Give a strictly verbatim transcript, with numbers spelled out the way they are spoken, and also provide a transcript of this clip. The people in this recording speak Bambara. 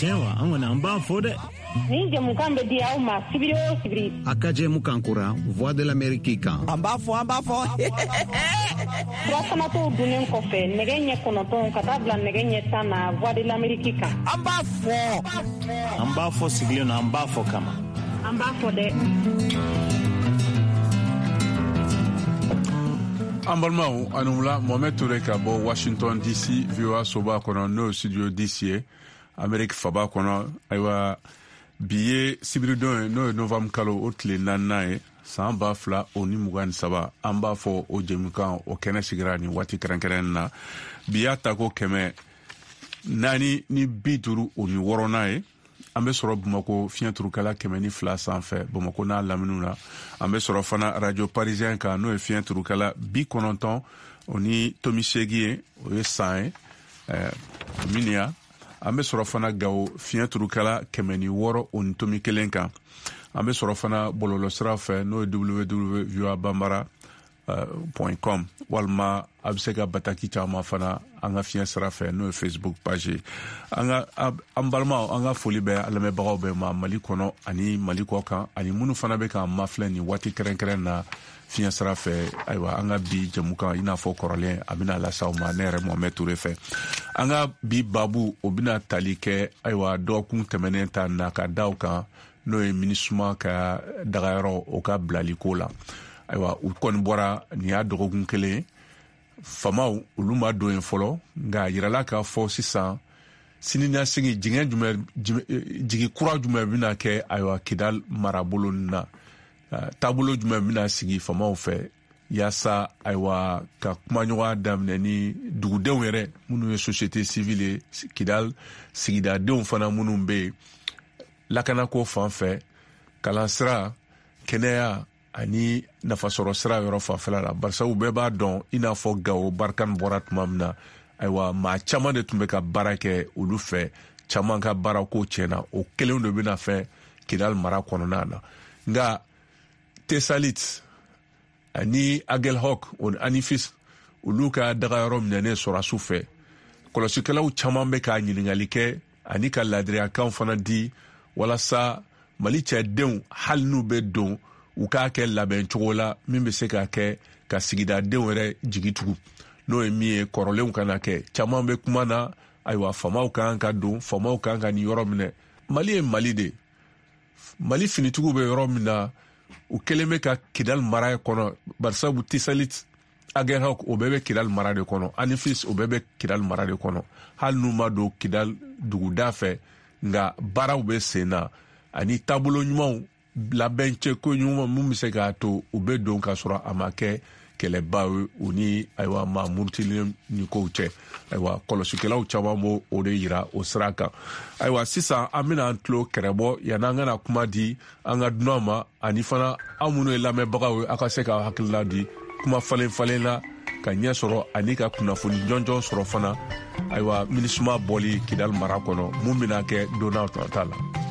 Tiɲɛ wa, an kɔni an b'a fɔ dɛ. Nin jɛmukan bɛ di aw ma sibiri o sibiri. A ka jɛmukan kura Voix de l'Amérique kan. An b'a fɔ, an b'a fɔ. Furafanatɔw dunnen kɔfɛ nɛgɛ ɲɛ kɔnɔntɔn ka taa bila nɛgɛ ɲɛ tan na Voix de l'Amérique kan. An b'a fɔ. An b'a fɔ sigilen na, an b'a fɔ kama. An b'a fɔ dɛ. An balimaw, ani wula. Mohamed Toure ka bɔ Washington D C, V O A soba kɔnɔ, n'o ye studio D C ye, Amerique faba kɔnɔ. Ayiwa, bi ye sibiridon ye, n'o ye novembre kalo o tile naaninan ye, san ba fila o ni mugan ni saba. An b'a fɔ o jɛmukan o kɛnɛ sigira nin waati kɛrɛnkɛrɛn na. Bi y'a ta ko kɛmɛ naani ni bi duuru o ni wɔɔrɔnan ye. An bɛ sɔrɔ Bamako fiɲɛ turukala kɛmɛ ni fila sanfɛ, Bamako n'a laminiw na. An bɛ sɔrɔ fana Radio Parisien kan, n'o ye fiɲɛ turukala bi kɔnɔntɔn o ni tomi seegin ye, o ye san ye miniya. An bɛ sɔrɔ fana Gawo fiɲɛ turukala kɛmɛ ni wɔɔrɔ o ni tomi kelen kan. An bɛ sɔrɔ fana bɔlɔlɔsira fɛ, n'o ye W W voa bambara point com, walima a bɛ se ka bataki caman fana an ka fiɲɛ sira fɛ, n'o ye Facebook page ye. An ka an balimaw, an ka foli bɛ an lamɛnbagaw bɛɛ ma Mali kɔnɔ ani Mali kɔ kan, ani minnu fana bɛ k'an mafilɛ nin waati kɛrɛnkɛrɛn na fiɲɛ sira fɛ. Ayiwa, an ka bi jɛmukan, i n'a fɔ kɔrɔlen, a bɛna lase aw ma ne yɛrɛ Mohamed Toure fɛ. An ka bi babu, o bɛna tali kɛ, ayiwa, dɔgɔkun tɛmɛnen ta na ka da o kan, n'o ye MINUSMA ka dagayɔrɔ o ka bilaliko la. Ayiwa, u kɔni bɔra nin y'a dɔgɔkun kelen, famaw olu ma don yen fɔlɔ, nka a yirala k'a fɔ sisan siniɲɛsigi jigin jumɛn, jigi kura jumɛn bɛna kɛ, ayiwa, Kidal marabolo na, taabolo jumɛn bɛna sigi famaw fɛ yaasa, ayiwa, ka kumaɲɔgɔnya daminɛ ni dugudenw yɛrɛ minnu ye société civile ye, Kidal sigidadenw fana minnu bɛ yen, lakanako fan fɛ, kalansira, kɛnɛya ani nafasɔrɔ sira yɔrɔ fanfɛla la. Barisa u bɛɛ b'a dɔn, i n'a fɔ Gawo Barkhane bɔra tuma min na, ayiwa, maa caman de tun bɛ ka baara kɛ olu fɛ, caman ka baarako tiɲɛna. O kelen de bɛna fɛn Kidal mara kɔnɔna na. Nka Tesalit ani Agelhok o ni Anifis, olu ka dagayɔrɔ minɛnen sɔrɔsiw fɛ, kɔlɔsikɛlaw caman bɛ ka ɲininkali kɛ ani ka laadiriyakan fana di walasa Mali cɛdenw, hali n'u bɛ don, u k'a kɛ labɛn cogo la min bɛ se ka kɛ ka sigidadenw yɛrɛ jigi tugu, n'o ye min ye kɔrɔlenw kana kɛ. Caman bɛ kuma na, ayiwa, famaw kan ka don, famaw kan ka nin yɔrɔ minɛ. Mali ye Mali de, Mali finitigiw bɛ yɔrɔ min na, u kɛlen bɛ ka Kidal mara kɔnɔ. Barisabu Tisalit, Aguelhok, o bɛɛ bɛ Kidal mara de kɔnɔ, Anifis, o bɛɛ bɛ Kidal mara de kɔnɔ. Hali n'u ma don Kidal duguda fɛ, nka baaraw bɛ sen na ani taabolo ɲumanw labɛn cɛko ɲuman mun bɛ se k'a to u bɛ don k'a sɔrɔ a ma kɛ kɛlɛba ye u ni, ayiwa, maa murutilen ni kow cɛ. Ayiwa, kɔlɔsikɛlaw caman b'o o de yira o sira kan. Ayiwa, sisan an bɛna an tulo kɛrɛbɔ yan'an kana kuma di an ka dunan ma, ani fana aw minnu ye lamɛnbagaw ye, aw ka se ka hakilina di kuma falen falen na ka ɲɛ sɔrɔ ani ka kunnafoni jɔnjɔn sɔrɔ fana, ayiwa, MINUSMA bɔli Kidal mara kɔnɔ, mun bɛna kɛ don n'a ta la.